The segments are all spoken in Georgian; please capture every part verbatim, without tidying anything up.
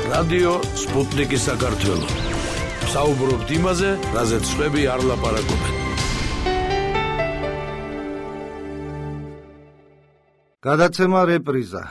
რადიო სპუტნიკი საქართველო. საუბრობთ იმაზე, რაზეც სხვები არ ლაპარაკობენ. გადაცემა რეპრიზა.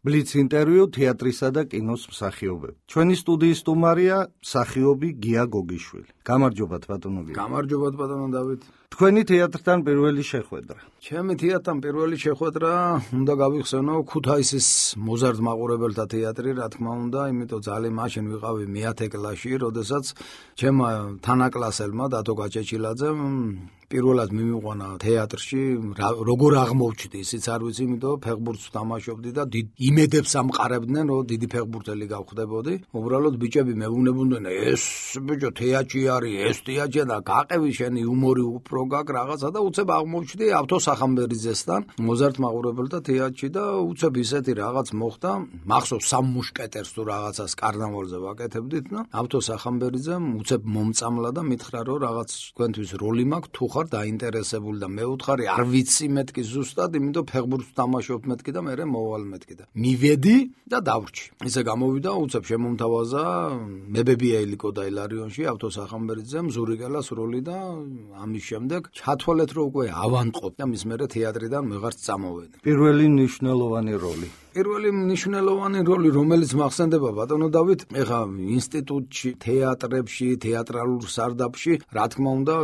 ბლიც ინტერვიუ თეატრისა და კინოს მსახიობები. ჩვენი სტუდიის სტუმარია მსახიობი გია გოგიშვილი. გამარჯობათ ბატონო გია. გამარჯობათ ბატონო დავით. თქვენი თეატრთან პირველი შეხვედრა. ჩემი თეატრთან პირველი შეხვედრა უნდა გავიხსენო ქუთაისის მოზარდ მაყურებელთა თეატრი, რა თქმა უნდა, იმიტომ ძალიან მაშინ ვიყავი მეათე კლასში, როდესაც ჩემმა თანაკლასელმა დათო გაჭეჭილაძემ პირველად მიმიყვანა თეატრში, როგორ აღმოჩნდი, ისიც არ ვიცი, იმიტომ ფეხბურთს ვთამაშობდი და იმედებს ამყარებდნენ, რომ დიდი ფეხბურთელი გავხდებოდი. უბრალოდ ბიჭები მეუბნებოდნენ, ეს ბიჭო თეატრში არის, ეს თეატრია და გაყევი შენი იუმორი უფრო გაკ რაღაცა და უცებ აღმოჩნდი ავთო სახამბერიძესთან მოზარდ მაყურებელთა თეატრში და უცებ ისეთი რაღაც მოხდა, მახსოვს სამ მუშკეტერს თუ რაღაცას კარნავალზე ვაკეთებდით და ავთო სახამბერიძემ უცებ მომწამლა და მითხრა, რომ რაღაც თქვენთვის როლი მაქვს, თუ ხარ დაინტერესებული და მე ვუთხარი არ ვიცი მეთქი ზუსტად, იმიტომ ფეხბურთს ვთამაშობ მეთქი და მე მოვალ მეთქი და მივედი და დავრჩი. ისე გამოვიდა, უცებ შემომთავაზა მებებია ილიკო და ილარიონში ავთო სახამბერიძემ ზურიგელას როლი და ამის შემდეგ ჩათვალეთ, რომ უკვე ავანტყოფ და მის მერე თეატრიდან ვეღარც წამოვედი. პირველი მნიშვნელოვანი როლი. პირველი მნიშვნელოვანი როლი, რომელიც მახსენდება ბატონო დავით, ეხა ინსტიტუტში, თეატრებში, თეატრალურ სარდაფში, რა თქმა უნდა,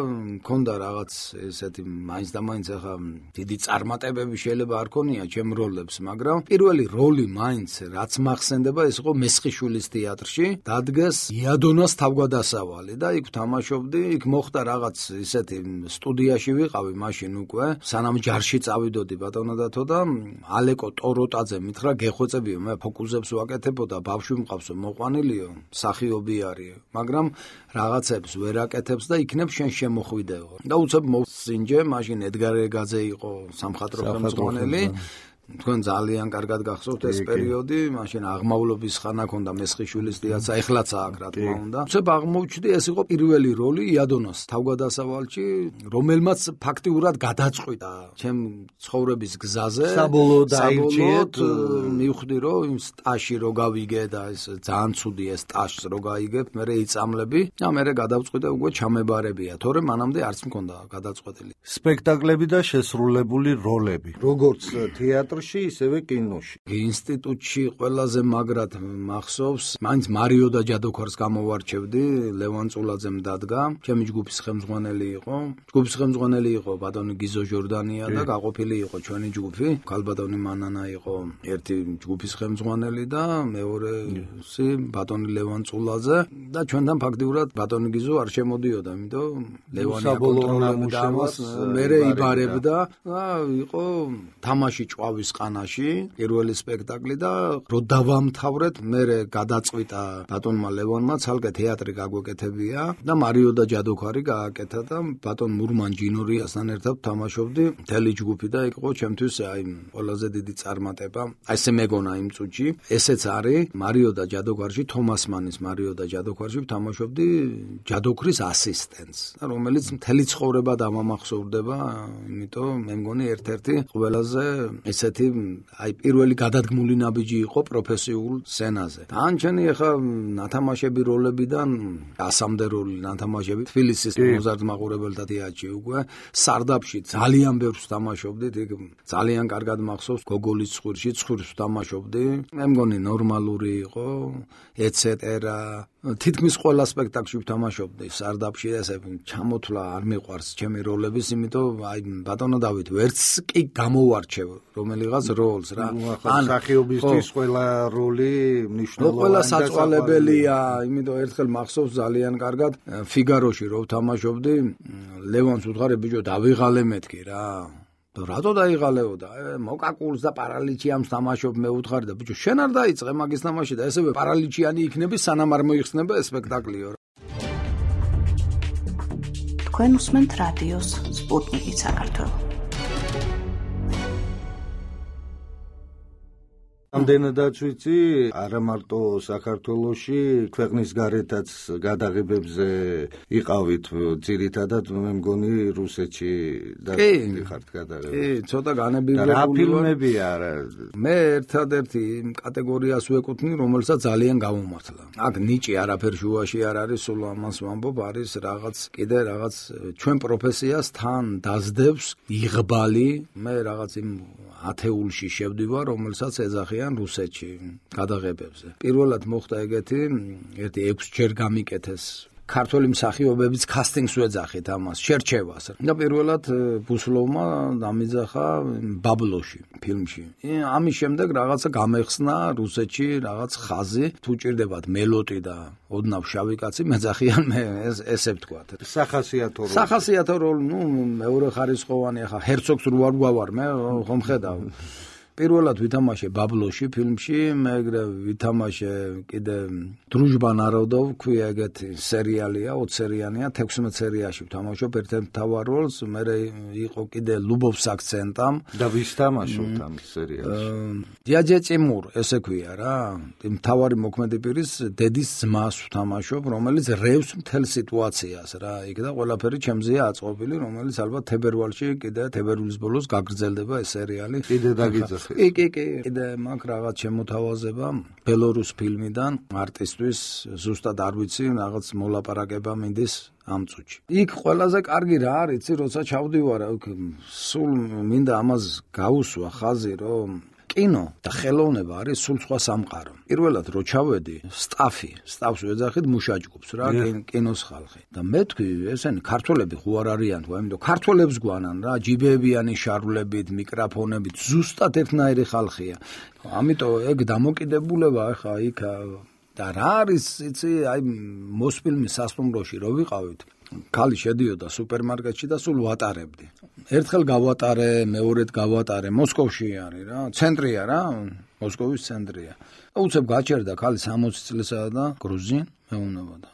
მქონდა რაღაც ესეთი მაინც და მაინც ეხა დიდი წარმატებები შეიძლება არ ქონია ჩემ როლებს, მაგრამ პირველი როლი მაინც რაც მახსენდება, ეს იყო მესხიშვილის თეატრში, დადგეს იადონას თავგადასავალი და იქ ვთამაშობდი, იქ მოხდა რაღაც ისეთი სტუდიაში ვიყავი მაშინ უკვე, სანამ ჯარში წავიდოდი ბატონო დათო და ალეკო ტოროტაძე რა გეხვეწებიო, მე ფოკუსებს ვაკეთებოდა, ბავშვი მყავსო, მოყვანილიო, მსახიობი არის, მაგრამ რაღაცებს ვერ აკეთებს და იქნებ შენ შემოხვიდეო. და უცებ მოსინჯე, მაშინ ედგარ ეგაძე იყო სამხატვრო ხელმძღვანელი. თქვენ ძალიან კარგად გახსოვთ ეს პერიოდი, მაშინ აღმავლობის ხანა ქონდა მესხიშვილის თეატრს, ეხლაც აქვს რა თქმა უნდა. უცებ აღმოჩნდი, ეს იყო პირველი როლი იადონოს თავგადასავალში, რომელმაც ფაქტიურად გადაწყვიტა ჩემ ცხოვრების გზაზე. საბოლოოდ დაირჩიეთ, მივხვდი, რომ იმ სტაჟში რო გავიგე და ეს ძალიან ცუდი ეს სტაჟს რო გაიგებ, მე იწამლები და მე გადავწყვიტე უკვე ჩამებარებია, თორემ მანამდე არც მქონდა გადაწყვეტილი. სპექტაკლები და შესრულებული როლები. როგორც თეატრში ისევე კინოში. ინსტიტუტში ყველაზე მაგრად მახსოვს, მაინც მარიო და ჯადოქარს გამოვარჩევდი, ლევან წულაძემ დადგა, ჩემი ჯგუფის ხელმძღვანელი იყო. ჯგუფის ხელმძღვანელი იყო ბატონი გიზო ჟორდანია და გაყოფილი იყო ჩვენი ჯგუფი. ქალბატონი მანანა იყო ერთი ჯგუფის ხელმძღვანელი და მეორესი ბატონი ლევან წულაძე და ჩვენთან ფაქტიურად ბატონი გიზო არ შემოდიოდა, იმიტომ ლევანი აკონტროლებდა ამას, მერე იბარებდა და იყო თამაში ჭვავის ყანაში, პირველი სპექტაკლი და რო დავამთავრეთ, მერე გადაწყვიტა ბატონმა ლევანმა ცალკე თეატრი გაგვეკეთებია და მარიო და ჯადოქარი გააკეთა და ბატონ მურმან ჯინორიასთან ერთად თამაშობდი მთელი ჯგუფი და იქ იყო ჩემთვის აი ყველაზე დიდი წარმატება. აი ესე მეგონა იმ წუთში. ესეც არის მარიო და ჯადოქარში, თომას მანის მარიო და ჯადოქარში თამაშობდი ჯადოქრის ასისტენტს, რომელიც მთელი ცხოვრება დამამახსოვრდება, იმიტომ მე მგონი ერთ-ერთი ყველაზე ესეთი აი პირველი გადადგმული ნაბიჯი იყო პროფესიულ სცენაზე. თანჩენი ახლა ნათამაშები როლებიდან ასამდე როლი ნათამაშები თბილისის მოზარდ მაყურებელთა თეატრში უკვე სარდაფში ძალიან ბევრს თამაშობდით, იქ ძალიან კარგად მახსოვს გოგოლის ცხვირში ცხვირს თამაშობდი. მე მგონი ნორმალური იყო, ეტცეტერა. თითქმის ყველა სპექტაკლში ვთამაშობდი სარდაფში, ესე ჩამოთვლა არ მიყვარს ჩემი როლების, იმიტომ აი ბატონო დავით ვერც კი გამოვარჩევ რომელიღაც როლს რა. ან სახიობისთვის ყველა როლი მნიშვნელოვანია. ყველა საწვალებელია, იმიტომ ერთხელ მახსოვს ძალიან კარგად ფიგაროში რო ვთამაშობდი, ლევანს ვუთხარი ბიჭო დავიღალე მეთქი რა. რატო დაიღალეო და მოკაკულს და პარალიჩიანს თამაშობ მე ვუთხარი და ბიჭო შენ არ დაიწყე მაგის თამაში და ესევე პარალიჩიანი იქნები სანამ არ მოიხსნება ეს სპექტაკლიო. თქვენ უსმენთ რადიოს სპუტნიკი საქართველო. ამდენადაც ვიცი, არა მარტო საქართველოში, ქვეყნის გარეთაც გადაღებებზე იყავით ძირითადად, მე მგონი რუსეთში და ხართ გადაღებები. კი, ცოტა განებივრებული. რა ფილმებია არა? მე ერთადერთი კატეგორიას ვეკუთვნი, რომელსაც ძალიან გამომართლა. აქ ნიჭი არაფერ შუაში არ არის, სულ ამას ვამბობ, არის რაღაც კიდე რაღაც ჩვენ პროფესიას თან დაძდებს იღბალი. მე რაღაც იმ ათეულში შევდივარ, რომელსაც ეძახიან რუსეთში გადაღებებზე. პირველად მოხდა ეგეთი, ერთი ექვსჯერ გამიკეთეს ქართველი მსახიობების კასტინგს ვეძახით ამას, შერჩევას. და პირველად ბუსლოვმა დამიძახა ბაბლოში, ფილმში. ამის შემდეგ რაღაცა გამეხსნა რუსეთში რაღაც ხაზი, თუ ჭირდებათ მელოტი და ოდნავ შავი კაცი მეძახიან მე ესე ვთქვათ. სახასიათო როლი. სახასიათო როლი, ნუ მეორე ხარისხოვანი, ახლა ჰერცოგს რო არ გვავარ, მე ხომ ხედავ. პირველად ვითამაშე ბაბლოში ფილმში, მეგრე ვითამაშე კიდე დრუჟბა ნაროდოვ, ქვია ეგეთი სერიალია, ოცი სერიანია, თექვსმეტ სერიაში ვთამაშობ ერთ-ერთ მთავარ როლს, მერე იყო კიდე ლუბოვს აქცენტამ და ვის თამაშობთ ამ სერიალში? დიაჯე წიმურ, ესე ქვია რა. მთავარი მოქმედი პირის დედის ძმას ვთამაშობ, რომელიც რევს მთელ სიტუაციას რა. იქ და ყველაფერი ჩემზეა აწყობილი, რომელიც ალბათ თებერვალში კიდე თებერვლის ბოლოს გაგრძელდება ეს სერიალი. კიდე დაგიძახ კი, კი, კი, კიდე მაქვს რაღაც შემოთავაზება ბელორუს ფილმიდან არტისტვის, ზუსტად არ ვიცი, რაღაც მოლაპარაკება მინდის ამ წუთში. იქ ყველაზე კარგი რა არის, იცი, როცა ჩავდივარ, სულ მინდა ამას გაუსვა ხაზი, რომ კინო და ხელოვნება არის სულ სხვა სამყარო. პირველად რო ჩავედი, სტაფი, სტაფს ვეძახით მუშაჯგუფს რა, კინოს ხალხი. და მე თქვი, ესენი ქართველები ხო არ არიან, ხო, იმიტომ ქართველებს გვანან რა, ჯიბეებიანი შარვლებით, მიკროფონებით, ზუსტად ერთნაირი ხალხია. ამიტომ ეგ დამოკიდებულება ახლა იქ და რა არის, იცი, აი მოსფილმის სასტუმროში რო ვიყავით, ქალი შედიოდა სუპერმარკეტში და სულ ვატარებდი. ერთხელ გავატარე, მეორედ გავატარე, მოსკოვში არის რა, ცენტრია რა, მოსკოვის ცენტრია. უცებ გაჩერდა ქალი სამოცი წლისაა და გრუზინ მეუნებოდა.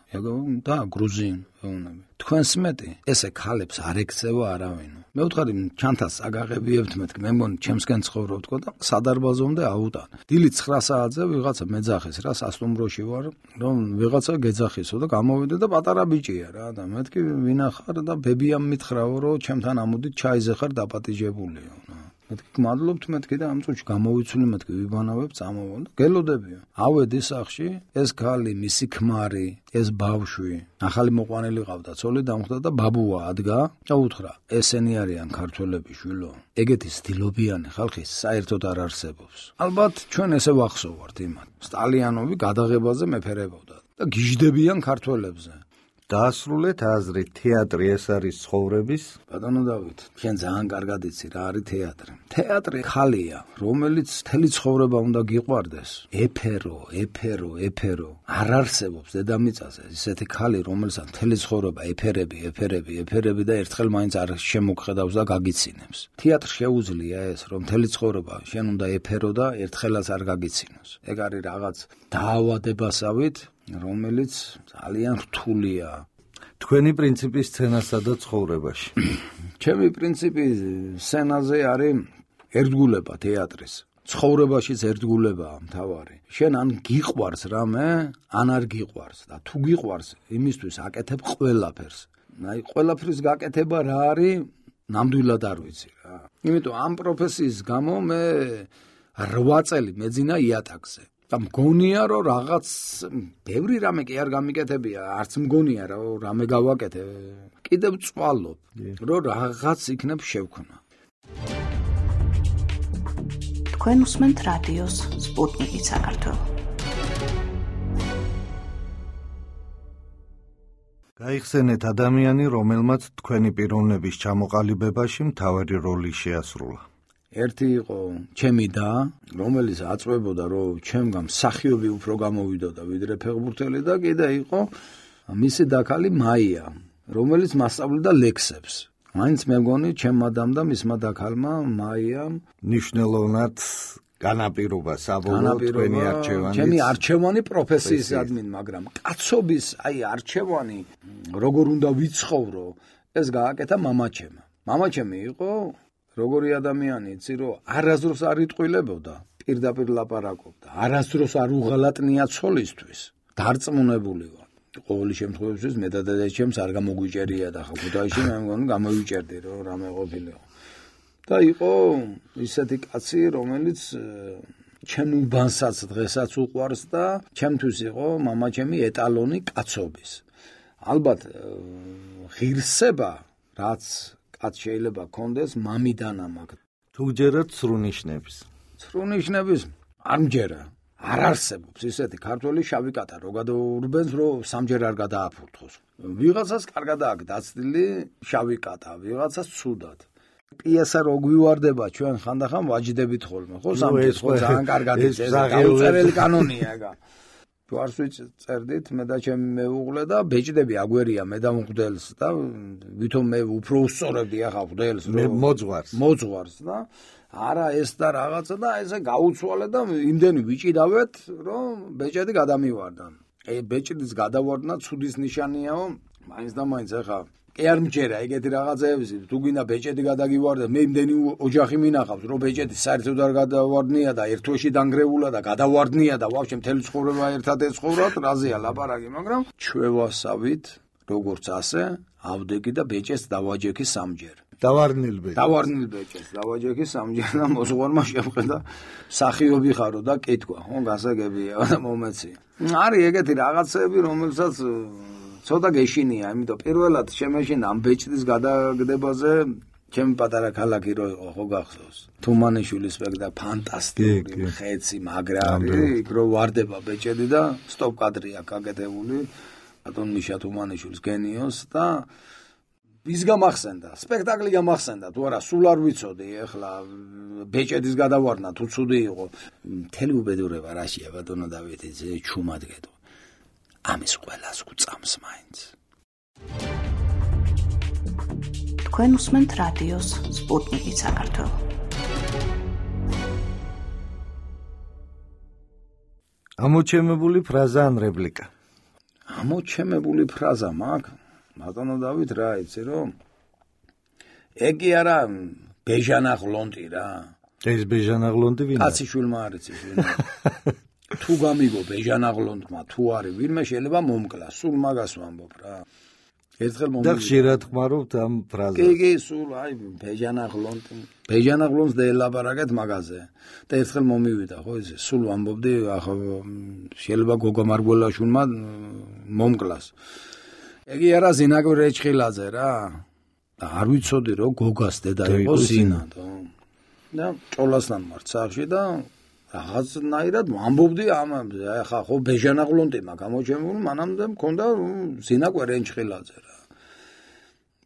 და გრუზინ მეუნები. თქვენს მეტი ესე ქალებს არ ეკცევა არავინ. მე ვთხარი ჩანთას აგაღებიებთ მეთქი, მე მგონი ჩემსკენ ცხოვრობ თქო და სადარბაზომდე აუტან. დილით ცხრა საათზე ვიღაცა მეძახეს რა, სასტუმროში ვარ, რომ ვიღაცა გეძახისო და გამოვიდე და პატარა ბიჭია რა და მეთქი ვინახარ და ბებიამ მითხრაო, რომ ჩემთან ამოდით ჩაიზე ხარ დაპატიჟებულიო. მეთქი მადლობთ მეთქი და ამ წუთში გამოვიცვლი მეთქი ვიბანავებ წამოვარ და გელოდებია. ავედი სახში, ეს ქალი, მისი ქმარი, ეს ბავშვი, ახალი მოყვანილი ყავდა, ცოლი დამხვდა და ბაბუა ადგა და უთხრა, ესენი არიან ქართველები შვილო. ეგეთი სტილობიანი ხალხი საერთოდ არ არსებობს. ალბათ ჩვენ ესე ვახსოვართ იმათ. სტალიანოვი გადაღებაზე მეფერებოდა და გიჟდებიან ქართველებზე. დაასრულეთ აზრით, თეატრი ეს არის ცხოვრების. ბატონო დავით, შენ ძალიან კარგად იცი რა არის თეატრი. თეატრი ხალია, რომელიც მთელი ცხოვრება უნდა გიყვარდეს. ეფერო, ეფერო, ეფერო. არ არსებობს დედამიწაზე ისეთი ხალი, რომელსაც მთელი ცხოვრება ეფერები, ეფერები, ეფერები და ერთხელ მაინც არ შემოგხედავს და გაგიცინებს. თეატრ შეუძლია ეს, რომ მთელი ცხოვრება შენ უნდა ეფერო და ერთხელაც არ გაგიცინოს. ეგ არის რაღაც დაავადებასავით, რომელიც ძალიან რთულია. თქვენი პრინციპი სცენასა და ცხოვრებაში. ჩემი პრინციპი სცენაზე არის ერთგულება თეატრის. ცხოვრებაშიც ერთგულებაა მთავარი. შენ ან გიყვარს რამე, ან არ გიყვარს და თუ გიყვარს, იმისთვის აკეთებ ყველაფერს. აი ყველაფრის გაკეთება რა არის, ნამდვილად არ ვიცი რა. იმიტომ ამ პროფესიის გამო მე რვა წელი მეძინა იატაკზე. და მგონია რომ რაღაც ბევრი რამე კი არ გამიკეთებია, არც მგონია რომ რამე გავაკეთე. კიდევ წვალობ, რომ რაღაც იქნებ შევქნა. თქვენ უსმენთ რადიოს სპუტნიკი საქართველო. გაიხსენეთ ადამიანი, რომელმაც თქვენი პიროვნების ჩამოყალიბებაში მთავარი როლი შეასრულა. ერთი იყო ჩემი და, რომელიც აწვებოდა, რომ ჩემგან მსახიობი უფრო გამოვიდოდა ვიდრე ფეხბურთელი და კიდე იყო მისი დაქალი მაია, რომელიც მასწავლიდა ლექსებს. მაინც მე მგონი ჩემმა დამ და მისმა დაქალმა მაიამ ნიშნულოვნად განაპირობა საბოლოოდ თქვენი არჩევანი. ჩემი არჩევანი პროფესიის ადმინ, მაგრამ კაცობის აი არჩევანი როგორ უნდა ვიცხოვრო, ეს გააკეთა მამაჩემ. მამაჩემი იყო როგორი ადამიანი, იცი, რომ არასდროს არ იტყვილებოდა. პირდაპირ ლაპარაკობდა. არასდროს არ უღალატნია ცოლისთვის. დარწმუნებული ვარ. ყოველი შემთხვევაში მე და დედაჩემს არ გამოგვიჭერია და ხა ქუთაისში მე მგონი გამოვიჭერდი რომ რამე ყოფილიყო. და იყო ისეთი კაცი, რომელიც ჩემ უბანსაც დღესაც უყვარს და ჩემთვის იყო მამაჩემი ეტალონი კაცობის. ალბათ ღირსება რაც კაც შეიძლება კონდეს მამიდან ამაგ. თუ ჯერათ სრულნიშნების. სრულნიშნების არ მჯერა. არ არსებობს ისეთი ქართველი შავი კატა რო გადაურბენს რომ სამჯერ არ გადააფურთხოს. ვიღაცას კარგად აქვს დაცდილი შავი კატა, ვიღაცას ცუდად. პიესა რო გვივარდება ჩვენ ხანდახან ვაჯდებით ხოლმე, ხო სამჯერ ხო ძალიან კარგად ის დაუწერელი კანონია ეგა. თუ არ ვიწერდით მე და ჩემი მეუღლე და ბეჭდები აგვერია მე და მღვდელს და ვითომ მე უფრო უსწორებდი ახლა მღვდელს რომ მოძღვარს. მოძღვარს და არა ეს და რაღაცა და ესე გაუცვალე და იმდენი ვიჭიდავეთ რომ ბეჭედი გადამივარდა. ე ბეჭდის გადავარდნა ცუდის ნიშანიაო, მაინც და მაინც ახლა კი არ მჯერა ეგეთი რაღაცეები, თუ გინდა ბეჭედი გადაგივარდა, მე იმდენი ოჯახი მინახავს, რომ ბეჭედი საერთოდ არ გადავარდნია და ერთ თვეში დანგრეულა და გადავარდნია და ვაფშე მთელი ცხოვრება ერთად ეცხოვრათ, რაზეა ლაპარაკი, მაგრამ ჩვევასავით, როგორც ასე, ავდეგი და ბეჭეს დავაჯექი სამჯერ. დავარნილ ბეჭეს. დავარნილ ბეჭეს, დავაჯექი სამჯერ და მოსუღარმა შეხვდა სახიობი ხარო და კითხვა, ხო, გასაგებია და მომეცი. არის ეგეთი რაღაცეები, რომელსაც ცოტა გეშინია, იმიტომ პირველად შემეშინა ამ ბეჭდის გადაგდებაზე ჩემი პატარა ქალაქი რო იყო, ხო გახსოვს. თუმანიშვილის სპექტაკლი ფანტასტიკური, ხეცი, მაგრა არის, იქ რო ვარდება ბეჭედი და სტოპ კადრია გაკეთებული. ბატონ მიშა თუმანიშვილის გენიოს და ის გამახსენდა, სპექტაკლი გამახსენდა, თუ არა სულ არ ვიცოდი, ეხლა ბეჭედის გადავარდნა თუ ცუდი იყო. მთელი უბედურება რაშია ბატონო დავითი, ზე ჩუმად გეტყვი. ამის ყველას უწამს მაინც. თქვენ უსმენთ რადიოს სპუტნიკი საქართველო. ამოჩემებული ფრაზა ან რეპლიკა. ამოჩემებული ფრაზა მაქვს. ბატონო დავით რა იცი რომ ეგი არა ბეჟანაღლონტი რა. ეს ბეჟანაღლონტი ვინაა? კაციშვილმა არ იცის ვინაა. თუ გამიგო ბეჟანაღლონტმა თუ არის ვინმე შეიძლება მომკლას, სულ მაგას ვამბობ რა. ერთხელ მომივიდა. და ხშირად ხმარობთ ამ ფრაზას. კი, კი, სულ აი ბეჟანაღლონტი. ბეჟანაღლონტს დაელაპარაკეთ მაგაზე. და ერთხელ მომივიდა, ხო ესე, სულ ვამბობდი, ახლა შეიძლება გოგო მარგველაშვილმა მომკლას. ეგი არა ზინაგვი რეჩხილაძე რა. და არ ვიცოდი რომ გოგას დედა იყო ზინა და და ჭოლასთან ვარ სახში და რაღაცნაირად ვამბობდი ამაზე. ახლა ხო ბეჟანაღლონტი მაგ გამოჩემული, მანამდე მქონდა ზინა კვერენჩხილაძე რა.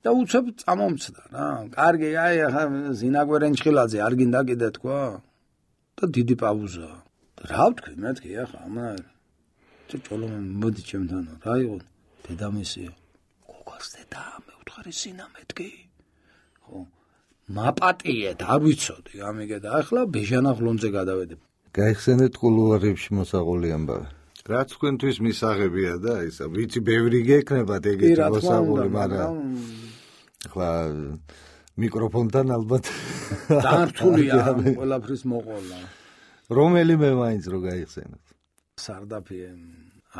და უცებ წამომცდა რა. კარგი, აი ახლა ზინა კვერენჩხილაძე არ გინდა კიდე თქვა? და დიდი პაუზა. რა ვთქვი მეთქი ახლა ამა ჭოლო მოდი ჩემთან რა იყო? დედამისია. გოგას დედა მე ვთხარი ზინა მეთქი. ხო. მაპატიეთ, არ ვიცოდი, ამიგე და ახლა ბეჟანაღლონზე გადავედი. გაიხსენეთ კულუარებში მოსაღული ამბავი. რაც თქვენთვის მისაღებია და ისა, ვიცი ბევრი გექნებათ ეგეთი მოსაღული, მაგრამ ახლა მიკროფონთან ალბათ დართულია ყველაფრის მოყოლა. რომელიმე მაინც რო გაიხსენოთ. სარდაფი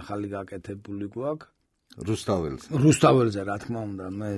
ახალი გაკეთებული გვაქვს. რუსთაველს. რუსთაველზე რა თქმა უნდა, მე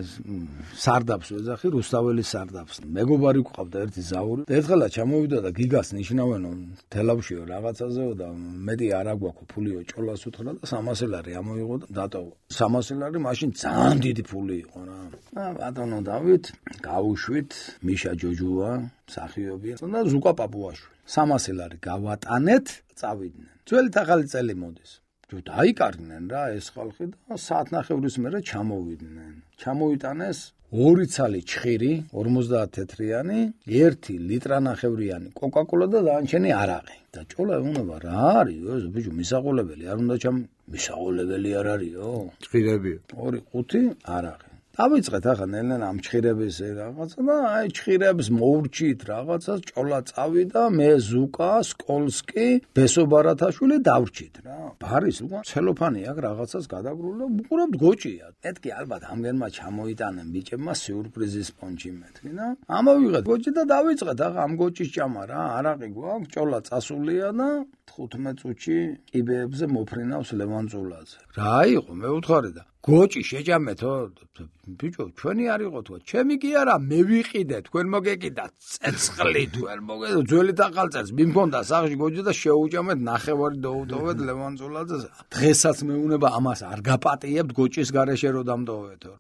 სარდაფს ვეძახი, რუსთაველის სარდაფს. მეგობარი გვყავდა ერთი ზაური. ერთხელა ჩამოვიდა და გიგას ნიშნავენო თელავშიო რაღაცაზეო და მეტი არ აგვაქვს ფულიო ჭოლას უთხრა და სამასი ლარი ამოიღო და დატოვა. სამასი ლარი მაშინ ძალიან დიდი ფული იყო რა. და ბატონო დავით, გავუშვით, მიშა ჯოჯუა, მსახიობია და ზუკა პაპუაშვილი. სამასი ლარი გავატანეთ, წავიდნენ. ძველი ახალი წელი მოდის. დაიკარგნენ რა ეს ხალხი და საათნახევრის მერე ჩამოვიდნენ. ჩამოიტანეს ორი ცალი ჩხირი, ორმოცდაათ თეთრიანი, ერთი ლიტრანახევრიანი კოკაკოლა და დანარჩენი არაყი. და ჭოლა ეუბნება რა არის ეს ბიჭო მისაღოლებელი არ უნდა ჩამ მისაღოლებელი არ არისო? ჩხირებია. ორი ხუთი არაყი. დავიწყეთ ახლა ნელ-ნელა ამ ჩხირების რაღაცა და აი ჩხირებს მოვრჩით რაღაცას, ჭოლა წავიდა, მე ზუკა, სკოლსკი, ბესო ბარათაშვილი დავრჩით რა. ბარის უკან ცელოფანი აქვს რაღაცას გადაგრული და უყურებთ გოჭია. მეთქი ალბათ ამგენმა ჩამოიტანენ ბიჭებმა სიურპრიზის პონჩი მეთქი და ამოვიღეთ გოჭი და დავიწყეთ ახლა ამ გოჭის ჭამა რა. არაყი გვაქვს, ჭოლა წასულია და თხუთმეტ წუთში კიბეებზე მოფრინავს ლევან წულაძე. რა იყო მე ვუთხარი და გოჭი შეჭამეთო ბიჭო ჩვენი არ იყო თქვა ჩემი კი არა მე ვიყიდე თქვენ მოგეკიდა ცეცხლი თქვენ მოგეკიდა ძველი თახალწელს მიმქონდა სახში გოჭი და შეუჭამეთ ნახევარი დაუტოვეთ ლევან წულაძეს დღესაც მეუნება ამას არ გაპატიებთ გოჭის გარეშე რო დამტოვეთო